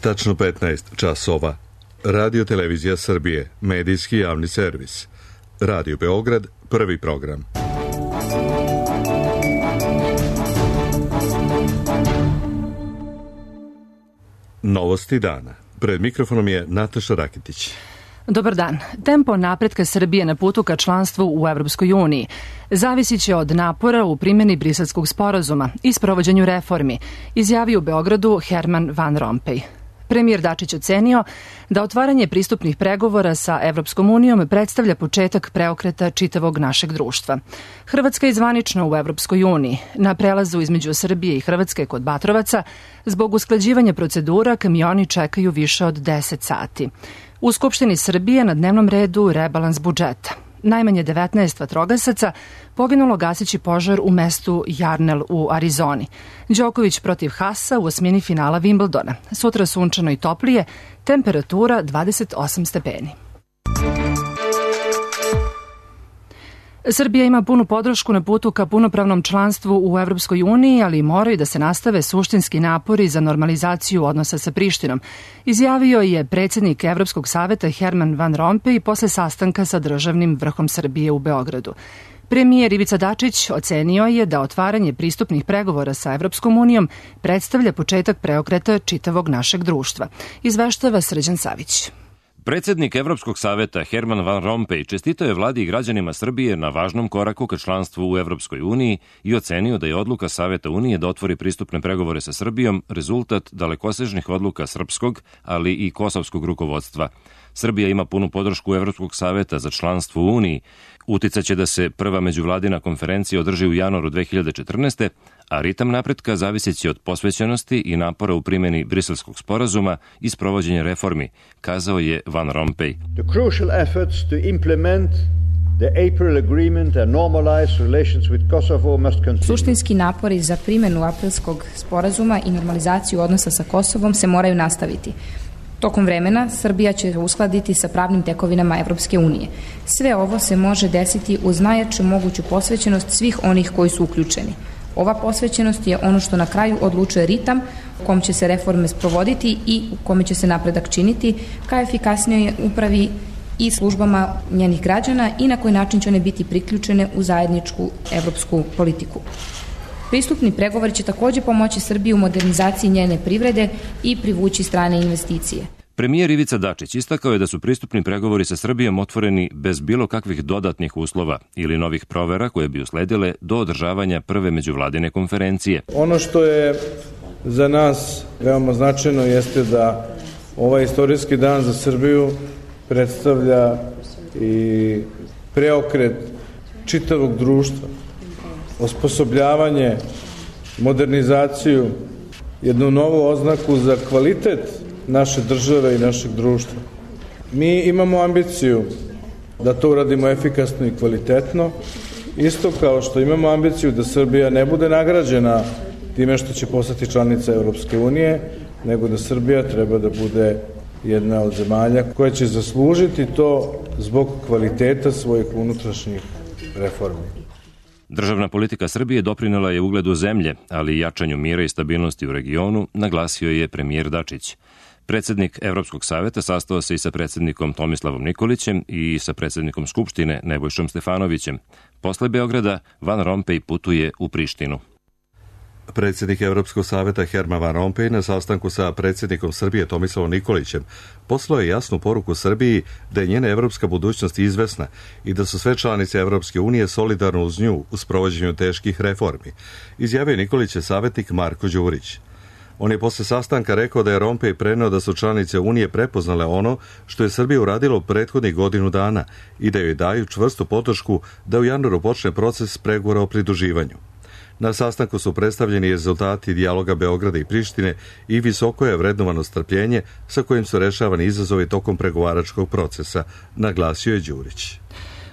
Tačno 15 časova. Radio Televizija Srbije, medijski javni servis. Radio Beograd, prvi program. Novosti dana. Pred mikrofonom je Nataša Rakitić. Dobar dan. Tempo napretka Srbije na putu ka članstvu u Evropskoj uniji zavisit će od napora u primjeni Briselskog sporazuma i sprovođenju reformi, izjavio u Beogradu Herman Van Rompuy. Premijer Dačić ocenio da otvaranje pristupnih pregovora sa Evropskom unijom predstavlja početak preokreta čitavog našeg društva. Hrvatska je zvanično u Evropskoj uniji. Na prelazu između Srbije i Hrvatske kod Batrovaca, zbog usklađivanja procedura, kamioni čekaju više od 10 sati. U Skupštini Srbije na dnevnom redu rebalans budžeta. Najmanje 19 vatrogasaca poginulo gaseći požar u mestu Jarnell u Arizoni. Đoković protiv Hasa u osmini finala Wimbledona. Sutra sunčano i toplije, temperatura 28 stepeni. Srbija ima punu podršku na putu ka punopravnom članstvu u Evropskoj uniji, ali moraju da se nastave suštinski napori za normalizaciju odnosa sa Prištinom, izjavio je predsjednik Evropskog saveta Herman Van Rompuy posle sastanka sa državnim vrhom Srbije u Beogradu. Premijer Ivica Dačić ocenio je da otvaranje pristupnih pregovora sa Evropskom unijom predstavlja početak preokreta čitavog našeg društva. Izveštava Srđan Savić. Predsjednik Evropskog saveta Herman Van Rompuy čestitao je vladi i građanima Srbije na važnom koraku ka članstvu u Evropskoj uniji i ocenio da je odluka Saveta Unije da otvori pristupne pregovore sa Srbijom rezultat dalekosežnih odluka srpskog, ali i kosovskog rukovodstva. Srbija ima punu podršku Evropskog saveta za članstvo u Uniji. Uticaće da se prva međuvladina konferencija održi u januaru 2014. a ritam napretka zavisit će od posvećenosti i napora u primjeni Briselskog sporazuma i sprovođenja reformi, kazao je Van Rompuy. The crucial efforts to implement the April agreement and normalize relations with Kosovo must continue. Suštinski napori za primjenu Aprilskog sporazuma i normalizaciju odnosa sa Kosovom se moraju nastaviti. Tokom vremena Srbija će uskladiti sa pravnim tekovinama Evropske unije. Sve ovo se može desiti uz najjaču moguću posvećenost svih onih koji su uključeni. Ova posvećenost je ono što na kraju odlučuje ritam u kom će se reforme sprovoditi i u kome će se napredak činiti ka efikasnijoj upravi i službama njenih građana i na koji način će one biti priključene u zajedničku evropsku politiku. Pristupni pregovori će također pomoći Srbiji u modernizaciji njene privrede i privući strane investicije. Premijer Ivica Dačić istakao je da su pristupni pregovori sa Srbijom otvoreni bez bilo kakvih dodatnih uslova ili novih provera koje bi usledile do održavanja prve međuvladine konferencije. Ono što je za nas veoma značajno jeste da ovaj istorijski dan za Srbiju predstavlja i preokret čitavog društva, osposobljavanje, modernizaciju, jednu novu oznaku za kvalitet naše države i našeg društva. Mi imamo ambiciju da to uradimo efikasno i kvalitetno, isto kao što imamo ambiciju da Srbija ne bude nagrađena time što će postati članica Evropske unije, nego da Srbija treba da bude jedna od zemalja koja će zaslužiti to zbog kvaliteta svojih unutrašnjih reformi. Državna politika Srbije doprinela je ugledu zemlje, ali i jačanju mira i stabilnosti u regionu, naglasio je premijer Dačić. Predsjednik Evropskog saveta sastao se i sa predsjednikom Tomislavom Nikolićem i sa predsjednikom Skupštine Nebojšom Stefanovićem. Posle Beograda Van Rompuy putuje u Prištinu. Predsjednik Evropskog saveta Herman Van Rompuy na sastanku sa predsjednikom Srbije Tomislavom Nikolićem poslao je jasnu poruku Srbiji da je njena evropska budućnost izvesna i da su sve članice Evropske unije solidarno uz nju u sprovođenju teških reformi, izjavio Nikolićev savjetnik Marko Đurić. On je posle sastanka rekao da je Rompuy preneo da su članice Unije prepoznale ono što je Srbija uradila u prethodnih godinu dana i da joj daju čvrstu podršku da u januaru počne proces pregovora o pridruživanju. Na sastanku su predstavljeni rezultati dijaloga Beograda i Prištine i visoko je vrednovano strpljenje sa kojim su rešavani izazovi tokom pregovaračkog procesa, naglasio je Đurić.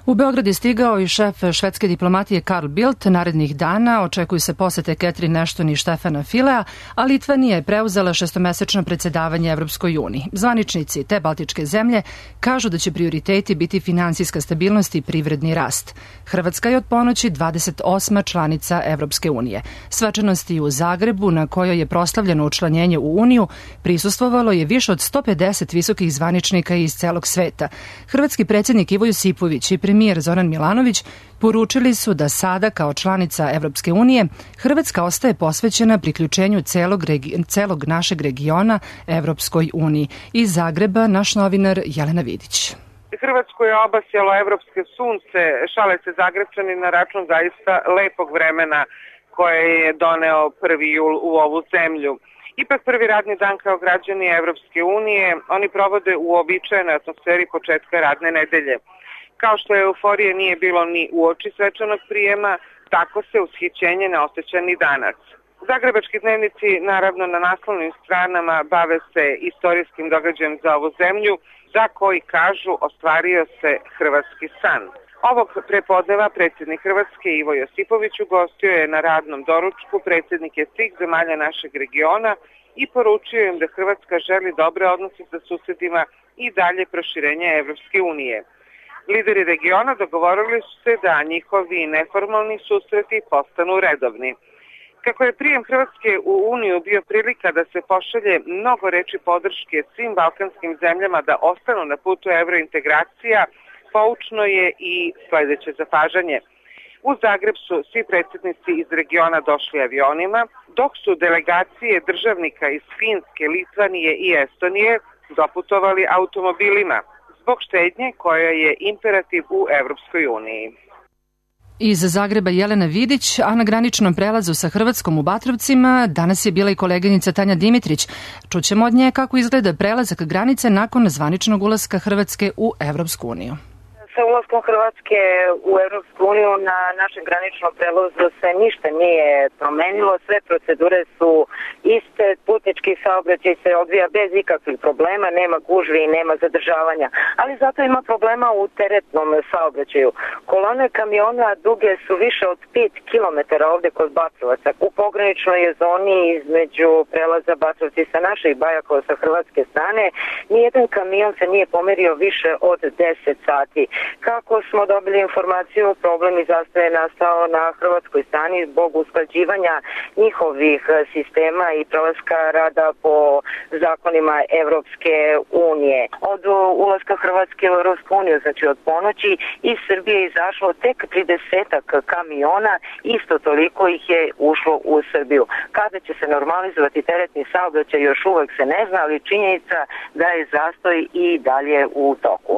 U Beograd je stigao i šef švedske diplomatije Carl Bildt. Narednih dana očekuju se posete Catherine Ashton i Štefana Filea, a Litvanija je preuzela šestomesečno predsjedavanje Evropskoj uniji. Zvaničnici te baltičke zemlje kažu da će prioriteti biti finansijska stabilnost i privredni rast. Hrvatska je od ponoći 28. članica Evropske unije. Svečanosti u Zagrebu, na kojoj je proslavljeno učlanjenje u Uniju, prisustvovalo je više od 150 visokih zvaničnika iz celog sveta. Hrvatski predsjednik Ivo Josipović i premijer Zoran Milanović poručili su da sada kao članica Evropske unije Hrvatska ostaje posvećena priključenju celog našeg regiona Evropskoj uniji. Iz Zagreba naš novinar Jelena Vidić. Hrvatsku je obasjalo evropske sunce, šale se Zagrebčani na račun zaista lepog vremena koje je doneo 1. jul u ovu zemlju. Ipak prvi radni dan kao građani Evropske unije oni provode u uobičajenoj atmosferi početka radne nedelje. Kao što euforije nije bilo ni uoči svečanog prijema, tako se ushićenje ne osjeća ni danas. Zagrebački dnevnici, naravno na naslovnim stranama, bave se istorijskim događajem za ovu zemlju, za koji kažu ostvario se hrvatski san. Ovog prepodneva predsjednik Hrvatske Ivo Josipović ugostio je na radnom doručku predsjednike svih zemalja našeg regiona i poručio im da Hrvatska želi dobre odnose sa susedima i dalje proširenje Evropske unije. Lideri regiona dogovorili su se da njihovi neformalni susreti postanu redovni. Kako je prijem Hrvatske u Uniju bio prilika da se pošalje mnogo reči podrške svim balkanskim zemljama da ostanu na putu evrointegracija, poučno je i sljedeće zapažanje. U Zagreb su svi predsjednici iz regiona došli avionima, dok su delegacije državnika iz Finske, Litvanije i Estonije doputovali automobilima, zbog štednje koja je imperativ u Evropskoj uniji. Iz Zagreba Jelena Vidić, a na graničnom prelazu sa Hrvatskom u Batrovcima danas je bila i koleginica Tanja Dimitrić. Čućemo od nje kako izgleda prelazak granice nakon zvaničnog ulaska Hrvatske u Evropsku uniju. Sa ulaskom Hrvatske u Evropsku uniju na našem graničnom prelazu se ništa nije promenilo, sve procedure su iste, putnički saobraćaj se odvija bez ikakvih problema, nema gužvi i nema zadržavanja, ali zato ima problema u teretnom saobraćaju. Kolone kamiona duge su više od 5 km ovde kod Batrovaca. U pograničnoj je zoni između prelaza Batrovci sa naše i Bajakova sa hrvatske strane, nijedan kamion se nije pomerio više od 10 sati. Kako smo dobili informaciju, problem i zastoj je nastao na hrvatskoj strani zbog usklađivanja njihovih sistema i prelaska rada po zakonima Evropske unije. Od ulaska Hrvatske u Evropsku uniju, znači od ponoći, iz Srbije je izašlo tek 30-ak kamiona, isto toliko ih je ušlo u Srbiju. Kada će se normalizovati teretni saobraćaj još uvek se ne zna, ali činjenica da je zastoj i dalje u toku.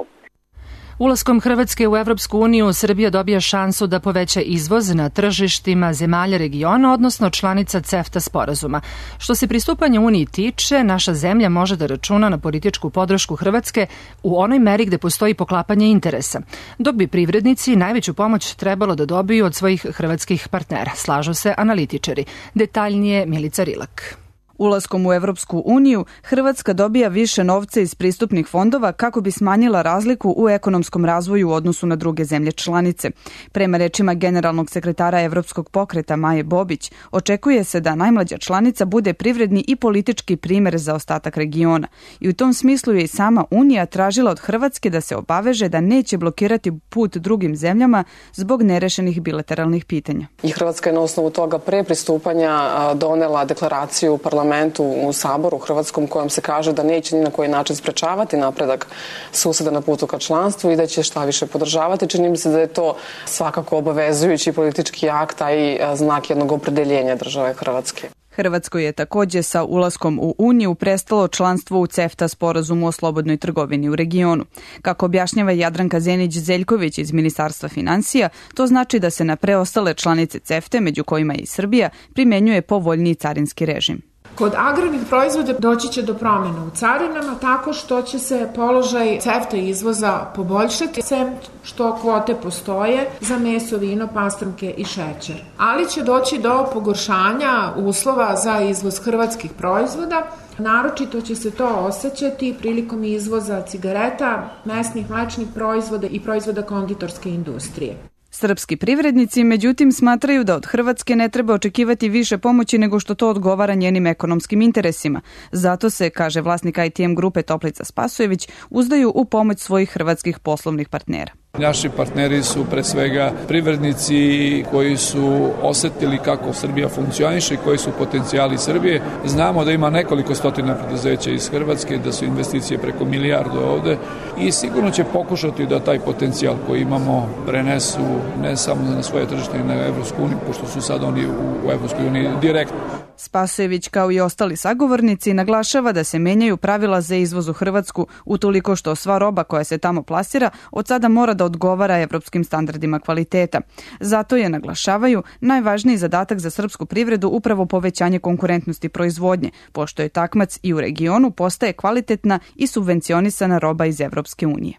Ulaskom Hrvatske u Evropsku uniju Srbija dobija šansu da poveća izvoz na tržištima zemalja regiona, odnosno članica CEFTA sporazuma. Što se pristupanja Uniji tiče, naša zemlja može da računa na političku podršku Hrvatske u onoj meri gde postoji poklapanje interesa, dok bi privrednici najveću pomoć trebalo da dobiju od svojih hrvatskih partnera, slažu se analitičari. Detaljnije Milica Rilak. Ulaskom u Evropsku uniju, Hrvatska dobija više novca iz pristupnih fondova kako bi smanjila razliku u ekonomskom razvoju u odnosu na druge zemlje članice. Prema rečima generalnog sekretara Evropskog pokreta Maje Bobić, očekuje se da najmlađa članica bude privredni i politički primer za ostatak regiona. I u tom smislu je i sama Unija tražila od Hrvatske da se obaveže da neće blokirati put drugim zemljama zbog nerešenih bilateralnih pitanja. I Hrvatska je na osnovu toga pre pristupanja donela deklaraciju u parlamentu u Saboru hrvatskom kojom se kaže da neće ni na koji način sprečavati napredak suseda na putu ka članstvu i da će šta više podržavati. Čini mi se da je to svakako obavezujući politički akt, a i znak jednog opredeljenja države Hrvatske. Hrvatskoj je takođe sa ulaskom u Uniju prestalo članstvo u CEFTA sporazumu o slobodnoj trgovini u regionu. Kako objašnjava Jadranka Zenić-Zeljković iz Ministarstva finansija, to znači da se na preostale članice CEFTA, među kojima je i Srbija, primenjuje povoljniji carinski režim. Kod agrarnih proizvoda doći će do promjena u carinama tako što će se položaj CEFTA izvoza poboljšati, sem što kvote postoje za meso, vino, pastrnke i šećer. Ali će doći do pogoršanja uslova za izvoz hrvatskih proizvoda, Naročito će se to osjećati prilikom izvoza cigareta, mesnih mlečnih proizvoda i proizvoda konditorske industrije. Srpski privrednici, međutim, smatraju da od Hrvatske ne treba očekivati više pomoći nego što to odgovara njenim ekonomskim interesima. Zato se, kaže vlasnik ITM grupe Toplica Spasojević, uzdaju u pomoć svojih hrvatskih poslovnih partnera. Naši partneri su pre svega privrednici koji su osetili kako Srbija funkcioniše i koji su potencijali Srbije. Znamo da ima nekoliko stotina preduzeća iz Hrvatske, da su investicije preko milijardu ovde i sigurno će pokušati da taj potencijal koji imamo prenesu ne samo na svoje tržište, na Evropsku uniju, pošto su sad oni u Evropskoj uniji direktno. Spasojević, kao i ostali sagovornici, naglašava da se menjaju pravila za izvoz u Hrvatsku utoliko što sva roba koja se tamo plasira od sada mora da odgovara evropskim standardima kvaliteta. Zato je, naglašavaju, najvažniji zadatak za srpsku privredu upravo povećanje konkurentnosti proizvodnje, pošto je takmac i u regionu postaje kvalitetna i subvencionisana roba iz Evropske unije.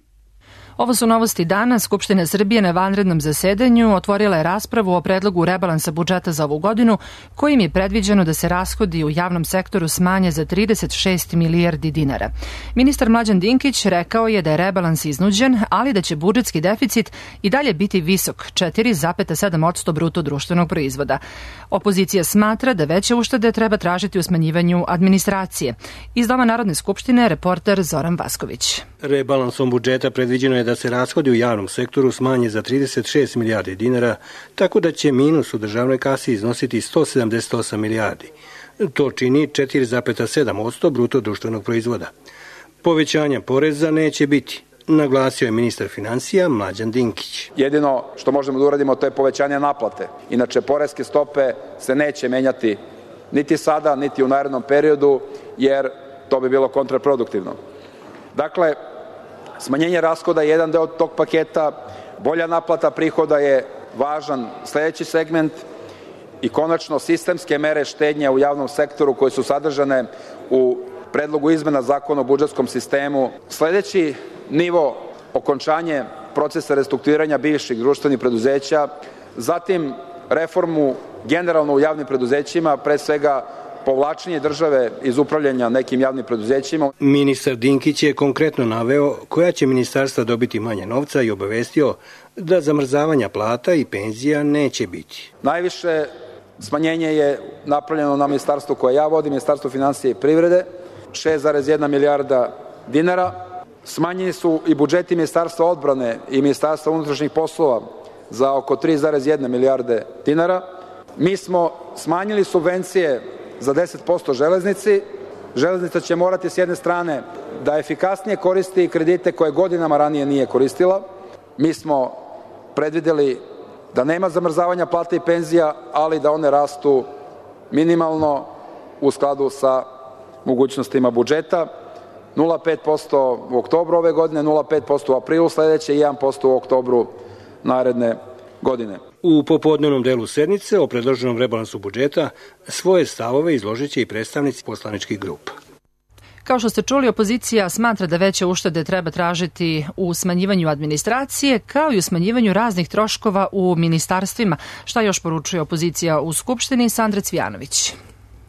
Ovo su novosti dana. Skupština Srbije na vanrednom zasedanju otvorila je raspravu o predlogu rebalansa budžeta za ovu godinu, kojim je predviđeno da se rashodi u javnom sektoru smanje za 36 milijardi dinara. Ministar Mlađan Dinkić rekao je da je rebalans iznuđen, ali da će budžetski deficit i dalje biti visok, 4,7% bruto društvenog proizvoda. Opozicija smatra da veće uštede treba tražiti u smanjivanju administracije. Iz Doma Narodne skupštine reporter Zoran Vasković. Rebalansom budžeta predviđeno je da se rashodi u javnom sektoru smanje za 36 milijardi dinara, tako da će minus u državnoj kasi iznositi 178 milijardi. To čini 4,7% bruto društvenog proizvoda. Povećanja poreza neće biti, naglasio je ministar finansija Mlađan Dinkić. Jedino što možemo da uradimo to je povećanje naplate. Inače, poreske stope se neće menjati niti sada, niti u narednom periodu, jer to bi bilo kontraproduktivno. Dakle, smanjenje rashoda je jedan deo tog paketa, bolja naplata prihoda je važan sledeći segment i konačno sistemske mere štednje u javnom sektoru koje su sadržane u predlogu izmena zakona o budžetskom sistemu. Sledeći nivo, okončanje procesa restrukturiranja bivših društvenih preduzeća, zatim reformu generalno u javnim preduzećima, pre svega povlačenje države iz upravljanja nekim javnim preduzećima. Ministar Dinkić je konkretno naveo koja će ministarstva dobiti manje novca i obavestio da zamrzavanja plata i penzija neće biti. Najviše smanjenje je napravljeno na ministarstvu koje ja vodim, Ministarstvo finansija i privrede, 6,1 milijarda dinara. Smanjeni su i budžeti Ministarstva odbrane i Ministarstva unutrašnjih poslova za oko 3,1 milijarde dinara. Mi smo smanjili subvencije za 10% železnici. Železnica će morati s jedne strane da efikasnije koristi kredite koje godinama ranije nije koristila. Mi smo predvideli da nema zamrzavanja plata i penzija, ali da one rastu minimalno u skladu sa mogućnostima budžeta. 0,5% u oktobru ove godine, 0,5% u aprilu sledeće i 1% u oktobru naredne godine. U popodnevnom delu sednice o predloženom rebalansu budžeta svoje stavove izložit će i predstavnici poslaničkih grupa. Kao što ste čuli, opozicija smatra da veće uštede treba tražiti u smanjivanju administracije, kao i u smanjivanju raznih troškova u ministarstvima. Šta još poručuje opozicija u Skupštini? Sandra Cvijanović.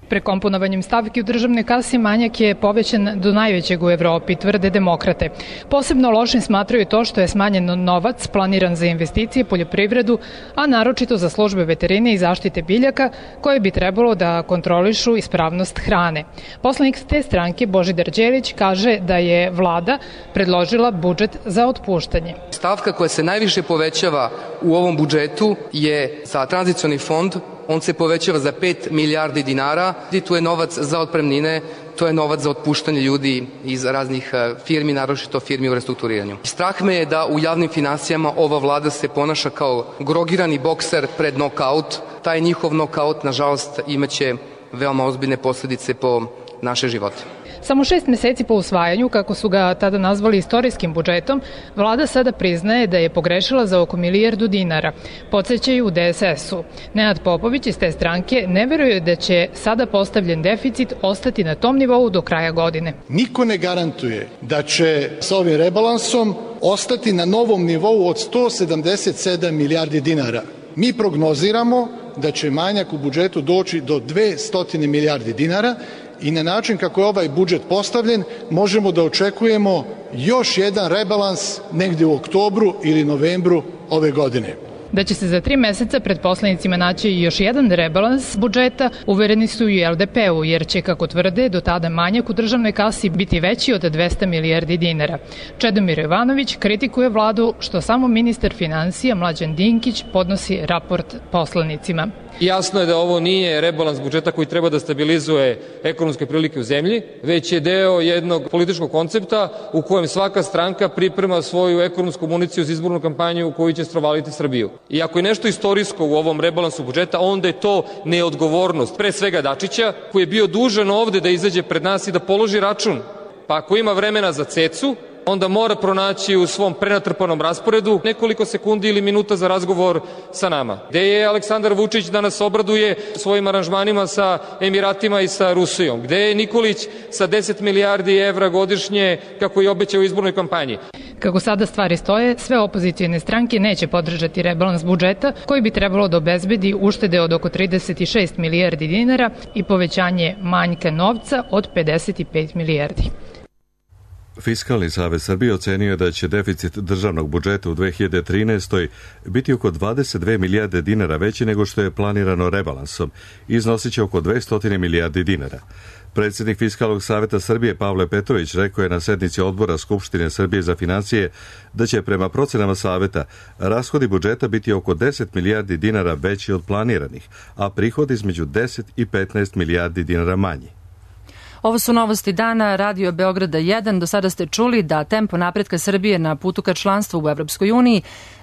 Prekomponovanjem stavki u državnoj kasi manjak je povećan do najvećeg u Evropi, tvrde demokrate. Posebno lošim smatraju to što je smanjen novac planiran za investicije, poljoprivredu, a naročito za službe veterine i zaštite biljaka, koje bi trebalo da kontrolišu ispravnost hrane. Poslanik te stranke Božidar Đelić kaže da je vlada predložila budžet za otpuštanje. Stavka koja se najviše povećava u ovom budžetu je za tranzicioni fond. On se povećava za 5 milijardi dinara i tu je novac za otpremnine, to je novac za otpuštanje ljudi iz raznih firmi, naročito firmi u restrukturiranju. Strah me je da u javnim finansijama ova vlada se ponaša kao grogirani bokser pred nokaut. Taj njihov nokaut, nažalost, imaće veoma ozbiljne posledice po naše živote. Samo 6 meseci po usvajanju, kako su ga tada nazvali istorijskim budžetom, vlada sada priznaje da je pogrešila za oko milijardu dinara. Podsećaju u DSS-u. Nenad Popović iz te stranke ne veruje da će sada postavljen deficit ostati na tom nivou do kraja godine. Niko ne garantuje da će sa ovim rebalansom ostati na novom nivou od 177 milijardi dinara. Mi prognoziramo da će manjak u budžetu doći do 200 milijardi dinara i na način kako je ovaj budžet postavljen, možemo da očekujemo još jedan rebalans negde u oktobru ili novembru ove godine. Da će se za 3 meseca pred poslanicima naći još jedan rebalans budžeta, uvereni su i LDP-u, jer će, kako tvrde, do tada manjak u državnoj kasi biti veći od 200 milijardi dinara. Čedomir Jovanović kritikuje vladu što samo ministar finansija Mlađan Dinkić podnosi raport poslanicima. Jasno je da ovo nije rebalans budžeta koji treba da stabilizuje ekonomske prilike u zemlji, već je deo jednog političkog koncepta u kojem svaka stranka priprema svoju ekonomsku municiju za izbornu kampanju u koju će strovaliti Srbiju. I ako je nešto istorijsko u ovom rebalansu budžeta, onda je to neodgovornost, pre svega Dačića, koji je bio dužan ovde da izađe pred nas i da položi račun. Pa ako ima vremena za cecu, onda mora pronaći u svom prenatrpanom rasporedu nekoliko sekundi ili minuta za razgovor sa nama. Gde je Aleksandar Vučić da nas obraduje svojim aranžmanima sa Emiratima i sa Rusijom? Gde je Nikolić sa 10 milijardi evra godišnje kako je obećao u izbornoj kampanji? Kako sada stvari stoje, sve opozicijne stranke neće podržati rebalans budžeta koji bi trebalo da obezbedi uštede od oko 36 milijardi dinara i povećanje manjka novca od 55 milijardi. Fiskalni savez Srbije ocenio je da će deficit državnog budžeta u 2013. biti oko 22 milijarde dinara veći nego što je planirano rebalansom i iznosit će oko 200 milijardi dinara. Predsjednik Fiskalnog saveta Srbije Pavle Petrović rekao je na sednici odbora Skupštine Srbije za financije da će prema procenama saveta rashodi budžeta biti oko 10 milijardi dinara veći od planiranih, a prihod između 10 i 15 milijardi dinara manji. Ovo su novosti dana Radio Beograda 1. Do sada ste čuli da tempo napretka Srbije na putu ka članstvu u Evropskoj uniji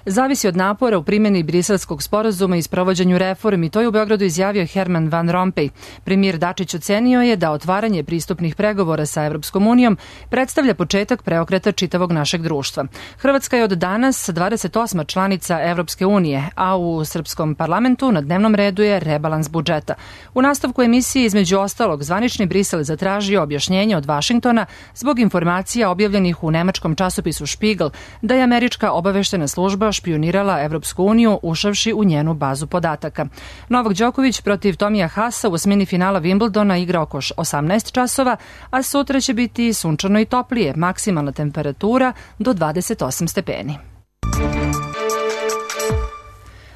zavisi od napora u primjeni Briselskog sporazuma i sprovođenju reformi. To je u Beogradu izjavio Herman Van Rompuy. Premijer Dačić ocenio je da otvaranje pristupnih pregovora sa Evropskom unijom predstavlja početak preokreta čitavog našeg društva. Hrvatska je od danas 28. članica Evropske unije, a u srpskom parlamentu na dnevnom redu je rebalans budžeta. U nastavku emisije između ostalog zvanični Brisel zatražio objašnjenje od Vašingtona zbog informacija objavljenih u nemačkom časopisu Spiegel da je američka obaveštena služba špionirala Evropsku uniju ušavši u njenu bazu podataka. Novak Đoković protiv Tomija Hasa u osmini finala Wimbledona igra oko 18 časova, a sutra će biti sunčano i toplije, maksimalna temperatura do 28 stepeni.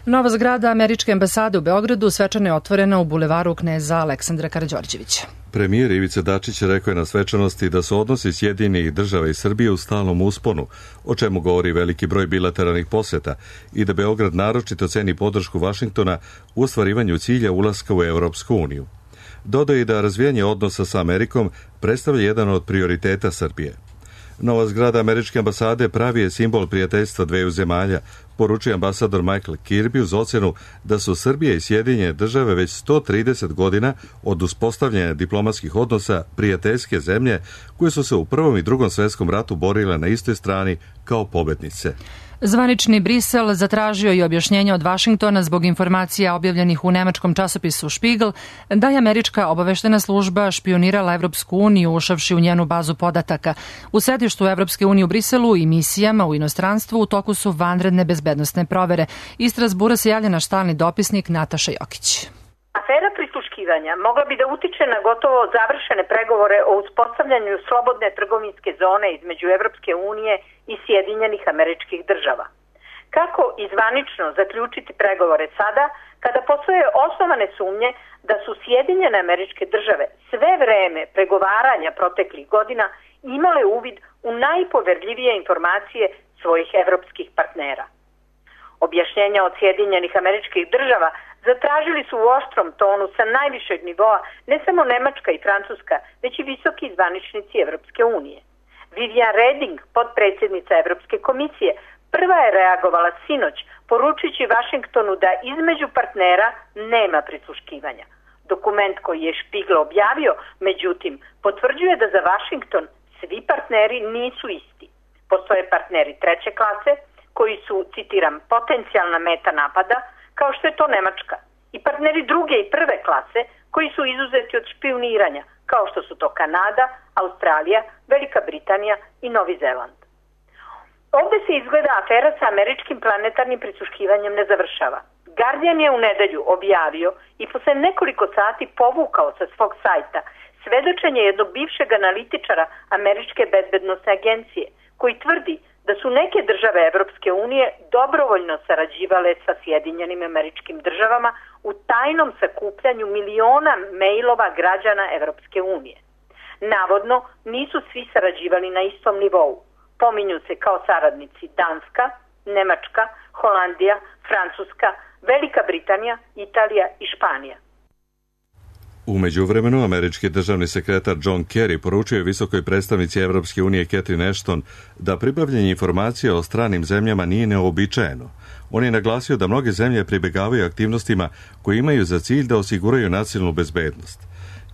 Nova zgrada američke ambasade u Beogradu svečano je otvorena u bulevaru kneza Aleksandra Karađorđevića. Premijer Ivica Dačić rekao je na svečanosti da su odnosi Sjedinjenih država i Srbije u stalnom usponu, o čemu govori veliki broj bilateralnih poseta, i da Beograd naročito ceni podršku Vašingtona u ostvarivanju cilja ulaska u Evropsku uniju. Dodao je da razvijanje odnosa sa Amerikom predstavlja jedan od prioriteta Srbije. Nova zgrada američke ambasade pravi je simbol prijateljstva dveju zemalja, poručuje ambasador Michael Kirby uz ocenu da su Srbija i Sjedinjene države već 130 godina od uspostavljanja diplomatskih odnosa prijateljske zemlje koje su se u Prvom i Drugom svjetskom ratu borile na istoj strani kao pobednice. Zvanični Brisel zatražio i objašnjenje od Vašingtona zbog informacija objavljenih u nemačkom časopisu Spiegel da je američka obaveštena služba špionirala Evropsku uniju ušavši u njenu bazu podataka. U sedištu Evropske unije u Briselu i misijama u inostranstvu u toku su vanredne bezbednosne provere. Iz Strasbura se javlja naš stalni dopisnik Nataša Jokić. Afera prisluškivanja mogla bi da utiče na gotovo završene pregovore o uspostavljanju slobodne trgovinske zone između Evropske unije i Sjedinjenih Američkih Država. Kako izvanično zaključiti pregovore sada, kada postoje osnovane sumnje da su Sjedinjene Američke Države sve vreme pregovaranja proteklih godina imale uvid u najpoverljivije informacije svojih evropskih partnera? Objašnjenja od Sjedinjenih Američkih Država zatražili su u oštrom tonu sa najvišeg nivoa ne samo Nemačka i Francuska, već i visoki zvaničnici Evropske unije. Vivian Reding, potpredsjednica Evropske komisije, prva je reagovala sinoć, poručujući Vašingtonu da između partnera nema prisluškivanja. Dokument koji je Spiegel objavio, međutim, potvrđuje da za Vašington svi partneri nisu isti. Postoje partneri treće klase, koji su, citiram, potencijalna meta napada, kao što je to Nemačka, i partneri druge i prve klase, koji su izuzeti od špioniranja, kao što su to Kanada, Australija, Velika Britanija i Novi Zeland. Ovde se izgleda afera sa američkim planetarnim prisluškivanjem ne završava. Guardian je u nedelju objavio i posle nekoliko sati povukao sa svog sajta sve svedočenje jednog bivšeg analitičara Američke bezbednosne agencije, koji tvrdi da su neke države Evropske unije dobrovoljno sarađivale sa Sjedinjenim Američkim Državama u tajnom sakupljanju miliona mejlova građana Evropske unije. Navodno, nisu svi sarađivali na istom nivou. Pominju se kao saradnici Danska, Nemačka, Holandija, Francuska, Velika Britanija, Italija i Španija. U međuvremenu, američki državni sekretar John Kerry poručio je visokoj predstavnici Evropske unije Catherine Ashton da pribavljanje informacija o stranim zemljama nije neobičajeno. On je naglasio da mnoge zemlje pribegavaju aktivnostima koje imaju za cilj da osiguraju nacionalnu bezbednost.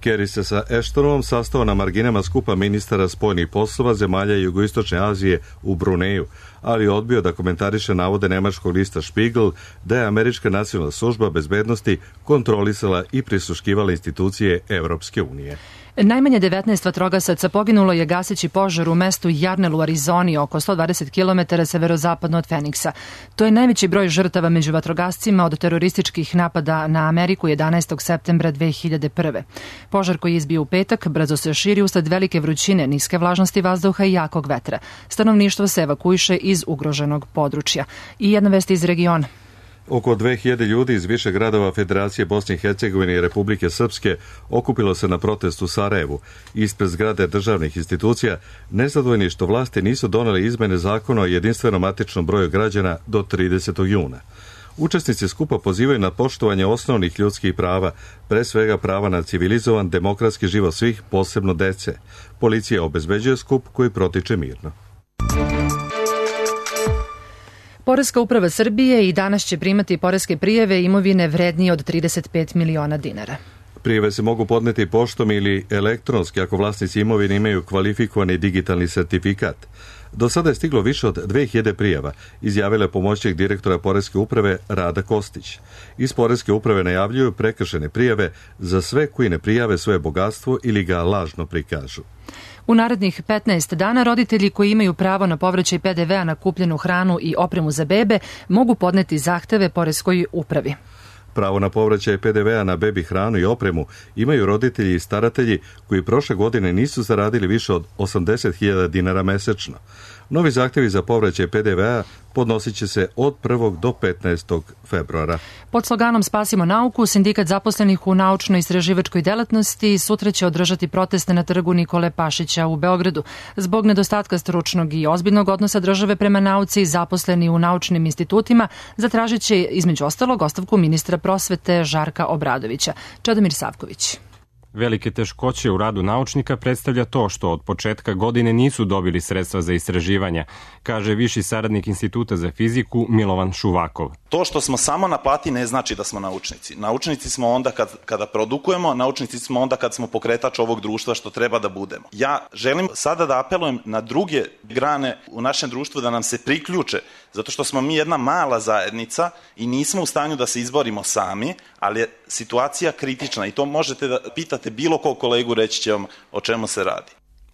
Kerry se sa Ashtonom sastao na marginama skupa ministara spoljnih poslova zemalja Jugoistočne Azije u Bruneju, ali odbio da komentariše navode nemačkog lista Spiegel da je američka nacionalna služba bezbednosti kontrolisala i prisluškivala institucije Evropske unije. Najmanje 19 vatrogasaca poginulo je gaseći požar u mestu Jarnell u Arizoni, oko 120 km severozapadno od Feniksa. To je najveći broj žrtava među vatrogascima od terorističkih napada na Ameriku 11. septembra 2001. Požar koji je izbio u petak brzo se širi usled velike vrućine, niske vlažnosti vazduha i jakog vetra. Stanovništvo se evakuiše iz ugroženog područja. I jedna vest iz regiona. Oko 2000 ljudi iz više gradova Federacije Bosne i Hercegovine i Republike Srpske okupilo se na protestu u Sarajevu ispred zgrade državnih institucija, nezadovoljni što vlasti nisu doneli izmene zakona o jedinstvenom matičnom broju građana do 30. juna. Učesnici skupa pozivaju na poštovanje osnovnih ljudskih prava, pre svega prava na civilizovan demokratski život svih, posebno dece. Policija obezbeđuje skup koji protiče mirno. Poreska uprava Srbije i danas će primati poreske prijave imovine vrednije od 35 miliona dinara. Prijave se mogu podneti poštom ili elektronski ako vlasnici imovine imaju kvalifikovani digitalni sertifikat. Do sada je stiglo više od 2000 prijava, izjavila je pomoćnik direktora Poreske uprave Rada Kostić. Iz Poreske uprave najavljuju prekršene prijave za sve koji ne prijave svoje bogatstvo ili ga lažno prikažu. U narednih 15 dana roditelji koji imaju pravo na povraćaj PDV-a na kupljenu hranu i opremu za bebe mogu podneti zahteve Poreskoj upravi. Pravo na povraćaj PDV-a na bebi hranu i opremu imaju roditelji i staratelji koji prošle godine nisu zaradili više od 80.000 dinara mesečno. Novi zahtjevi za povraćaj PDV-a podnosit će se od 1. do 15. februara. Pod sloganom Spasimo nauku, sindikat zaposlenih u naučno-istraživačkoj delatnosti sutra će održati proteste na trgu Nikole Pašića u Beogradu. Zbog nedostatka stručnog i ozbiljnog odnosa države prema nauci, zaposleni u naučnim institutima zatražit će između ostalog ostavku ministra prosvete Žarka Obradovića. Čedomir Savković. Velike teškoće u radu naučnika predstavlja to što od početka godine nisu dobili sredstva za istraživanja, kaže viši saradnik Instituta za fiziku Milovan Šuvakov. To što smo samo na plati ne znači da smo naučnici. Naučnici smo onda kada produkujemo, naučnici smo onda kad smo pokretač ovog društva što treba da budemo. Ja želim sada da apelujem na druge grane u našem društvu da nam se priključe, zato što smo mi jedna mala zajednica i nismo u stanju da se izborimo sami, ali je situacija kritična i to možete da pitate bilo kog kolegu, reći će vam o čemu se radi.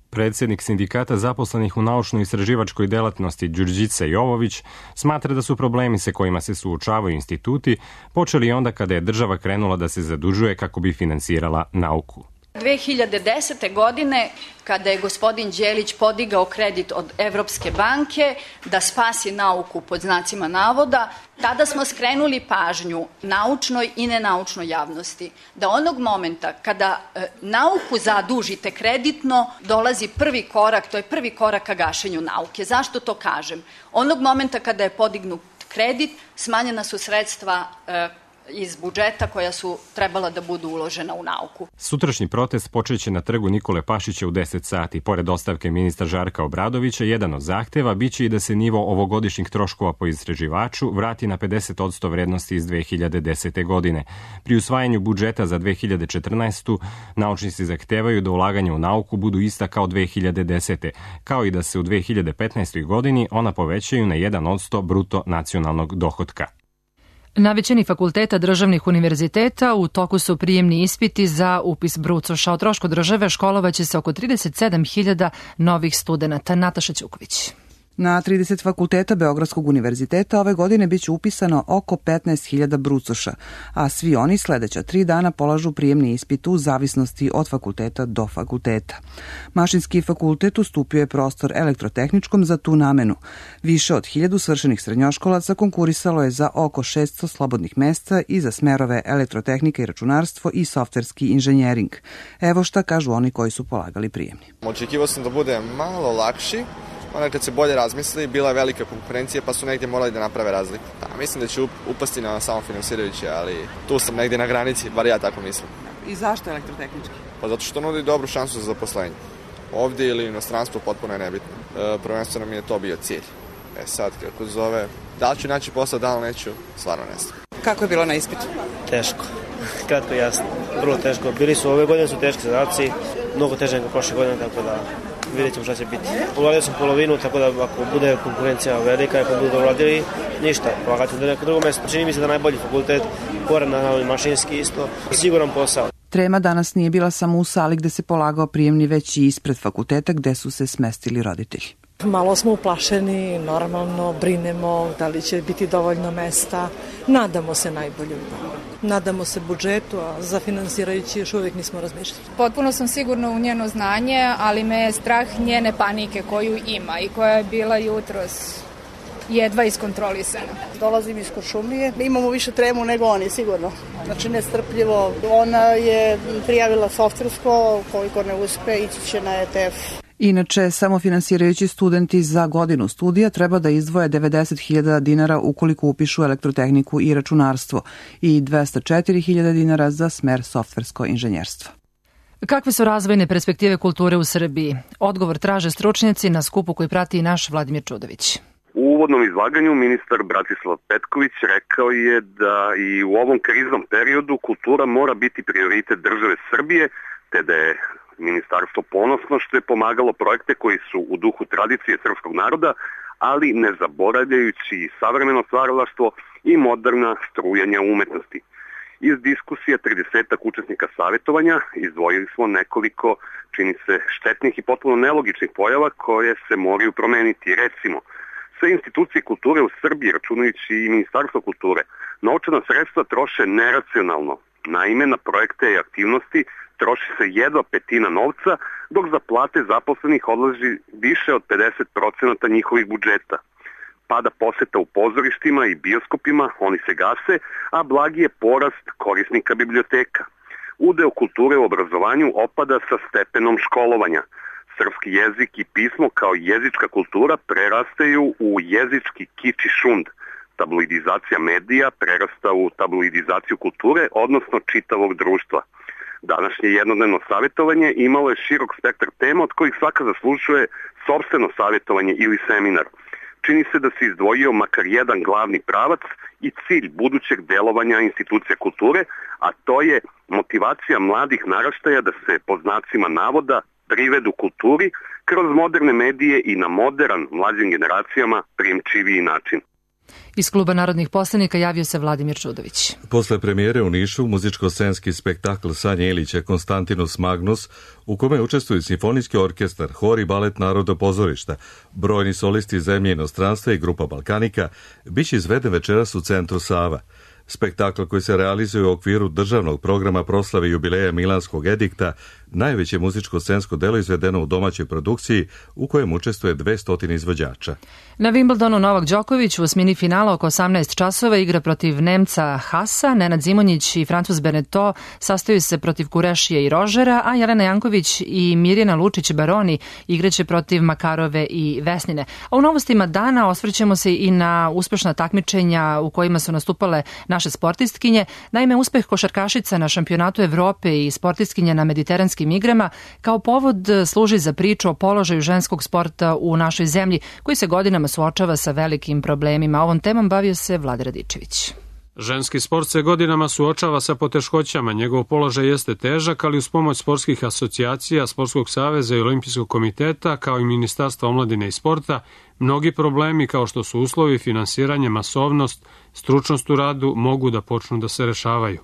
Predsjednik sindikata zaposlenih u naučno-istraživačkoj delatnosti Đurđica Jovović smatra da su problemi sa kojima se suočavaju instituti počeli onda kada je država krenula da se zadužuje kako bi finansirala nauku. 2010. godine, kada je gospodin Đelić podigao kredit od Evropske banke da spasi nauku pod znacima navoda, tada smo skrenuli pažnju naučnoj i nenaučnoj javnosti da onog momenta kada nauku zadužite kreditno dolazi prvi korak, to je prvi korak ka gašenju nauke. Zašto to kažem? Onog momenta kada je podignut kredit, smanjena su sredstva iz budžeta koja su trebala da budu uložena u nauku. Sutrašnji protest počeće na trgu Nikole Pašića u 10 sati. Pored ostavke ministra Žarka Obradovića, jedan od zahteva biće i da se nivo ovogodišnjih troškova po istraživaču vrati na 50% vrednosti iz 2010. godine. Pri usvajanju budžeta za 2014. naučnici zahtevaju da ulaganja u nauku budu ista kao 2010. kao i da se u 2015. godini ona povećaju na 1% bruto nacionalnog dohotka. Na većini fakulteta državnih univerziteta u toku su prijemni ispiti za upis brucoša. O trošku države školovaće se oko 37.000 novih studenata. Nataša Ćuković. Na 30 fakulteta Beogradskog univerziteta ove godine biće upisano oko 15.000 brucoša, a svi oni sledeća 3 dana polažu prijemni ispit u zavisnosti od fakulteta do fakulteta. Mašinski fakultet ustupio je prostor elektrotehničkom za tu namenu. Više od 1000 svršenih srednjoškolaca konkurisalo je za oko 600 slobodnih mesta i za smerove elektrotehnika i računarstvo i softverski inženjering. Evo šta kažu oni koji su polagali prijemni. Očekivao sam da bude malo lakši, onda kad se bolje razmisli, bila je velika konkurencija pa su negdje morali da naprave razliku. Mislim da će upasti na samofinansirajuće, ali tu sam negdje na granici, bar ja tako mislim. I zašto elektrotehnički? Pa zato što nudi dobru šansu za zaposlenje. Ovdje ili u inostranstvu potpuno je nebitno. Prvenstveno mi je to bio cilj. Sad kako zove, da li ću naći posao, da li neću, stvarno ne znam. Kako je bilo na ispitu? Teško, kratko i jasno, vrlo teško. Bili su ove godine su teški zadaci, mnogo teže nego prošle godine, tako da vidjet ćemo šta će biti. Uradio sam polovinu, tako da ako bude konkurencija velika, ako budu uradili, ništa, polagati na neko drugo mjesto. Čini mi se da najbolji fakultet, pored na mašinski isto, siguran posao. Trema danas nije bila samo u sali gde se polagao prijemni, već i ispred fakulteta gde su se smestili roditelji. Malo smo uplašeni, normalno brinemo da li će biti dovoljno mesta. Nadamo se najbolje. Nadamo se budžetu, a za finansirajući još uvijek nismo razmišljali. Potpuno sam sigurna u njeno znanje, ali me je strah njene panike koju ima i koja je bila jutros jedva iskontrolisana. Dolazim iz Kuršumlije, imamo više tremu nego oni, sigurno. Znači nestrpljivo. Ona je prijavila softversko, koliko ne uspe, ići će na ETF. Inače, samofinansirajući studenti za godinu studija treba da izdvoje 90.000 dinara ukoliko upišu elektrotehniku i računarstvo i 204.000 dinara za smer softversko inženjerstvo. Kakve su razvojne perspektive kulture u Srbiji? Odgovor traže stručnjaci na skupu koji prati i naš Vladimir Čudović. U uvodnom izlaganju ministar Bratislav Petković rekao je da i u ovom kriznom periodu kultura mora biti prioritet države Srbije, te da je ministarstvo ponosno što je pomagalo projekte koji su u duhu tradicije srpskog naroda, ali ne zaboravljajući savremeno stvaralaštvo i moderna strujanja umetnosti. Iz diskusije 30 učesnika savjetovanja izdvojili smo nekoliko, čini se, štetnih i potpuno nelogičnih pojava koje se moraju promeniti. Recimo, sve institucije kulture u Srbiji, računajući i Ministarstvo kulture, novčana sredstva troše neracionalno. Naime, na projekte i aktivnosti troši se jedva petina novca, dok za plate zaposlenih odlazi više od 50% njihovih budžeta. Pada poseta u pozorištima i bioskopima, oni se gase, a blagi je porast korisnika biblioteka. Udeo kulture u obrazovanju opada sa stepenom školovanja. Srpski jezik i pismo kao jezička kultura prerastaju u jezički kič i šund. Tabloidizacija medija prerasta u tabloidizaciju kulture, odnosno čitavog društva. Današnje jednodnevno savjetovanje imalo je širok spektar tema od kojih svaka zaslužuje sopstveno savjetovanje ili seminar. Čini se da se izdvojio makar jedan glavni pravac i cilj budućeg delovanja institucija kulture, a to je motivacija mladih naraštaja da se po znacima navoda privedu kulturi kroz moderne medije i na modern mlađim generacijama prijemčiviji način. Iz Kluba narodnih poslanika javio se Vladimir Čudović. Posle premijere u Nišu, muzičko-scenski spektakl Sanje Ilića Konstantinus Magnus, u kome učestvuju simfonijski orkestar, hor i balet Narodnog pozorišta, brojni solisti zemlje i inostranstva i grupa Balkanika, biće izveden večeras u centru Sava. Spektakl koji se realizuje u okviru državnog programa proslave jubileja Milanskog edikta, najveće muzičko-scensko delo izvedeno u domaćoj produkciji u kojem učestvuje 200 izvođača. Na Wimbledonu Novak Đoković u osmini finala oko 18 časova igra protiv Nemca Hasa, Nenad Zimonjić i Francuz Beneto sastaju se protiv Kurešije i Rožera, a Jelena Janković i Mirjana Lučić-Baroni igraće protiv Makarove i Vesnine. A u novostima dana osvrćemo se i na uspešna takmičenja u kojima su nastupale naše sportistkinje. Naime, uspeh košarkašica na šampionatu Evrope i sportistkinja na mediteranskim igrama kao povod služi za priču o položaju ženskog sporta u našoj zemlji, koji se godinama suočava sa velikim problemima. Ovom temom bavio se Vlada Radičević. Ženski sport se godinama suočava sa poteškoćama. Njegov položaj jeste težak, ali uz pomoć sportskih asocijacija, Sportskog saveza i Olimpijskog komiteta, kao i Ministarstva omladine i sporta, mnogi problemi kao što su uslovi, finansiranje, masovnost, stručnost u radu mogu da počnu da se rešavaju.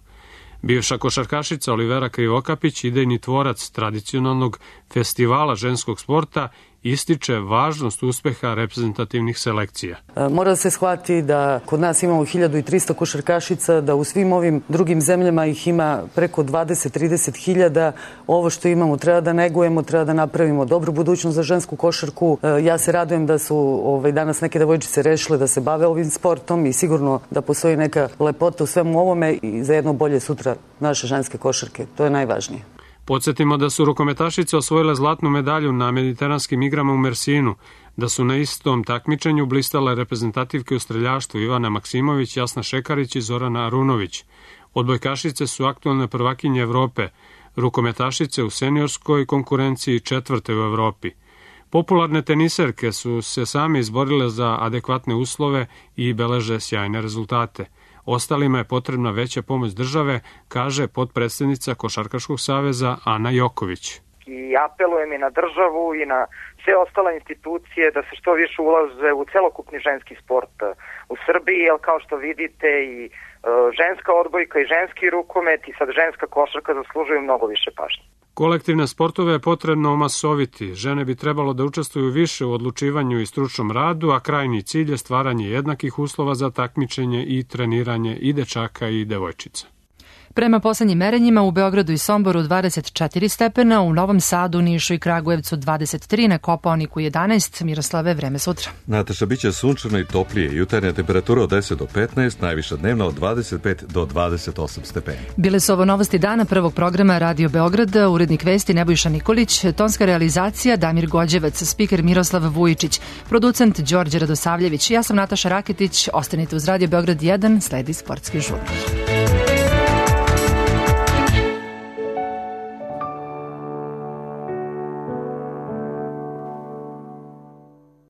Bivša košarkašica Olivera Krivokapić, idejni tvorac tradicionalnog festivala ženskog sporta, ističe važnost uspeha reprezentativnih selekcija. Mora se shvati da kod nas imamo 1300 košarkašica, da u svim ovim drugim zemljama ih ima preko 20-30 hiljada. Ovo što imamo treba da negujemo, treba da napravimo dobru budućnost za žensku košarku. Ja se radujem da su danas neke devojčice rešile da se bave ovim sportom i sigurno da postoji neka lepota u svemu ovome i za jedno bolje sutra naše ženske košarke. To je najvažnije. Podsjetimo da su rukometašice osvojile zlatnu medalju na mediteranskim igrama u Mersinu, da su na istom takmičenju blistale reprezentativke u streljaštvu Ivana Maksimović, Jasna Šekarić i Zorana Arunović. Odbojkašice su aktualne prvakinje Evrope, rukometašice u seniorskoj konkurenciji 4. u Evropi. Popularne teniserke su se same izborile za adekvatne uslove i beleže sjajne rezultate. Ostalima je potrebna veća pomoć države, kaže potpredsednica Košarkaškog saveza Ana Joković. I apelujem i na državu i na sve ostale institucije da se što više ulaže u celokupni ženski sport u Srbiji, jer kao što vidite i ženska odbojka i ženski rukomet i sad ženska košarka zaslužuju mnogo više pažnje. Kolektivne sportove je potrebno omasoviti. Žene bi trebalo da učestvuju više u odlučivanju i stručnom radu, a krajnji cilj je stvaranje jednakih uslova za takmičenje i treniranje i dečaka i devojčica. Prema poslednjim merenjima u Beogradu i Somboru 24 stepena, u Novom Sadu, Nišu i Kragujevcu 23, na Kopaoniku 11. Miroslave, vreme sutra. Nataša, bit će sunčano i toplije. Jutarnja temperatura od 10 do 15, najviša dnevna od 25 do 28 stepeni. Bile su ovo novosti dana prvog programa Radio Beograda, urednik vesti Nebojša Nikolić, tonska realizacija Damir Gođevac, spiker Miroslav Vujičić, producent Đorđe Radosavljević. Ja sam Nataša Raketić, ostanite uz Radio Beograd 1, sledi sportski žurnar.